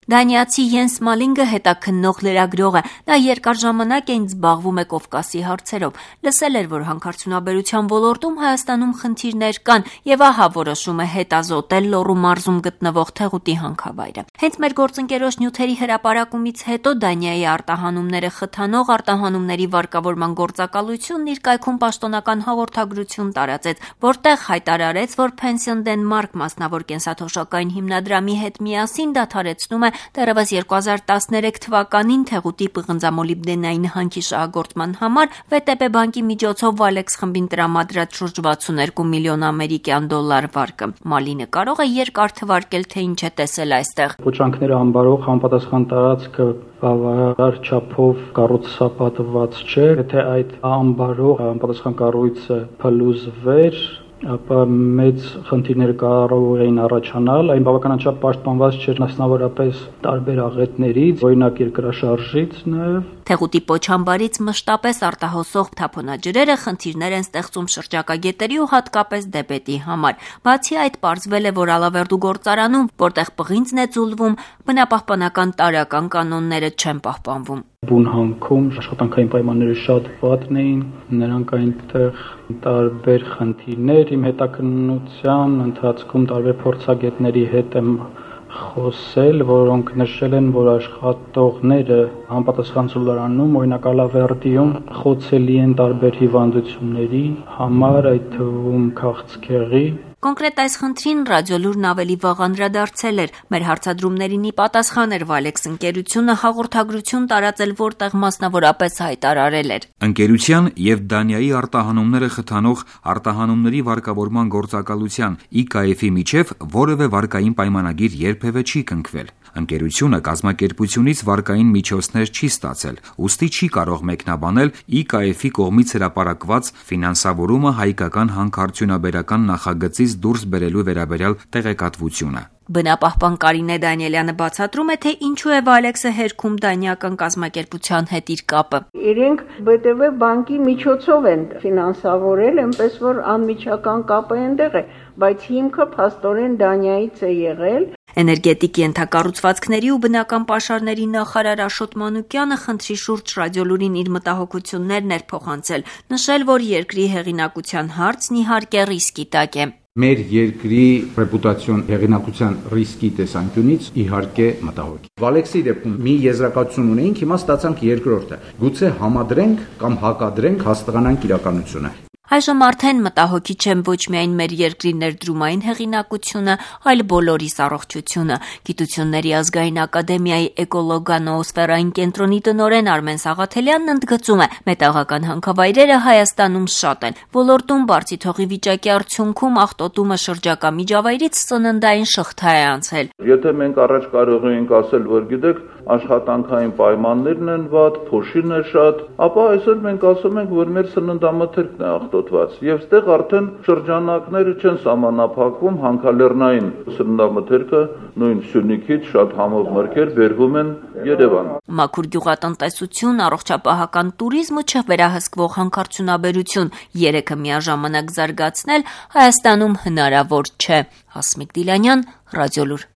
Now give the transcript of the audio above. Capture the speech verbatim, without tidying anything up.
Դանիացի Յենս Մալինգը հետաքննող լրագրող է, նա երկար ժամանակ այն զբաղվում է Կովկասի հարցերով, լսել էր, որ հանքարդյունաբերության ոլորտում Հայաստանում խնդիրներ կան եւ ահա որոշում է հետազոտել Լոռու մարզում գտնվող Թեղուտի հանքավայրը։ Հենց մեր գործընկերոջ նյութերի հրապարակումից հետո Դանիայի արտահանումները խթանող արտահանումների վարկավորման գործակալությունն իր կայքում պաշտոնական հաղորդագրություն տարածեց, որտեղ հայտարարեց, որ Pension Denmark մասնավոր կենսաթոշակային հիմնադրամի հետ միասին դադարեցնում է դեռևս երկու հազար տասներեք թվականին Թեղուտի պղնձամոլիբդենային հանքի շահագործման համար վե տե պե բանկի միջոցով Valex խմբին տրամադրած շուրջ վաթսունհինգ միլիոն ամերիկյան դոլար վարկը։ Մալինը կարող է երկար թվարկել, թե ինչ է տեսել այստեղ։ Փոչանքները ամբարող համապատասխան տարածքը բավարար չափով կառուցապատված չէ, եթե այդ ամբարող համապատասխան կառույցը փլուզվեր, ապա մեծ խնդիրներ կարող էին առաջանալ, այն բավականաչափ պաշտպանված չէր մասնավորապես տարբեր աղետներից, օրինակ երկրաշարժից նաև։ Թեղուտի պոչամբարից մշտապես արտահոսող թափոնաջրերը խնդիրներ են ստեղծում շրջակա գետերի ու հատկապես դեպետի համար։ Բացի այդ, պարզվել է, որ Ալավերդու գործարանում, որտեղ պղինձն է ձուլվում, բնապահպանական տարրական կանոնները չեն պահպանվում։ Բուն հանքում աշխատանքային պայմանները շատ վատն էին, նրանք այնտեղ տարբեր խնդիրներ, իմ հետաքննության ընթացքում տարբեր փորձագետների հետ եմ խոսել, որոնք նշել են, որ աշխատողները համապատասխան ծուլարանում, օրինակ Ալավերդիում, խոցելի են տարբեր հիվանդությունների համար, այդ թվում քաղցկեղի։ Կոնկրետ այս խնդրին Ռադիոլուրն ավելի վաղ անդրադարձել էր։ Մեր հարցադրումներին ի պատասխան էր Valex ընկերությունը հաղորդագրություն տարածել, որտեղ մասնավորապես հայտարարել էր. Ընկերության եւ Դանիայի արտահանումները խթանող արտահանումների վարկավորման գործակալության ի կա էֆ-ի միջև որևէ վարկային պայմանագիր երբևէ չի կնքվել։ Ընկերությունը կազմակերպությունից վարկային միջոցներ չի ստացել, ուստի չի կարող մեկնաբանել ի կա էֆ-ի կողմից հրապարակված ֆինանսավորումը հայկական հանքարդյունաբերական նախագծից դուրս բերելու վերաբերյալ տեղեկատվությունը։ Բնապահպան Կարինե Դանիելյանը բացատրում է, թե ինչու է Valex-ը հերքում դանիական կազմակերպության հետ իր կապը։ Իրենք վե տե պե բանկի միջոցով են ֆինանսավորել, այնպես որ անմիջական կապը այնտեղ է, բայց հիմքը փաստորեն Դանիայից է եղել։ Էներգետիկ ենթակառուցվածքների ու բնական պաշարների նախարար Աշոտ Մանուկյանը խնդրի շուրջ Ռադիոլուրին իր մտահոգություններն էր փոխանցել, նշել, որ երկրի հեղինակության հարցն իհարկե ռիսկի տակ է։ Մեր երկրի ռեպուտացիոն հեղինակության ռիսկի տեսանկյունից իհարկե մտահոգ է։ Valex-ի դեպքում մի եզրակացություն ունեինք, հիմա ստացանք երկրորդը։ Գուցե համադրենք կամ հակադրենք հաստատանանք իրականությունը։ Այժմ արդեն մտահոգիչ են ոչ միայն մեր երկրի ներդրումային հեղինակությունը, այլ բոլորիս առողջությունը։ Գիտությունների ազգային ակադեմիայի էկոլոգանոոսֆերային կենտրոնի տնօրեն Արմեն Սաղաթելյանն ընդգծում է, մետաղական հանքավայրերը Հայաստանում շատ են։ Ոլորտում բարձի թողի վիճակի արդյունքում աղտոտումը շրջակա միջավայրից սննդային շղթա է անցել։ Եթե մենք առաջ կարող էինք ասել, որ գիտեք, աշխատանքային պայմաններն են վատ, փոշին է շատ, ապա այսօր մենք ասում ենք, որ մեր սննդամթերքն է աղտոտված, եւ ստեղ արդեն շրջանակները չեն սահմանափակվում, հանքալեռնային սննդամթերքը նույն Սյունիքից շատ համով մրգեր բերվում են Երևան։ Մաքուր գյուղատնտեսություն, առողջապահական տուրիզմ ու չվերահսկվող հանքարդյունաբերություն երեքը միաժամանակ զարգացնել Հայաստանում հնարավոր չէ։ Հասմիկ Դիլանյան, Ռադիոլուր։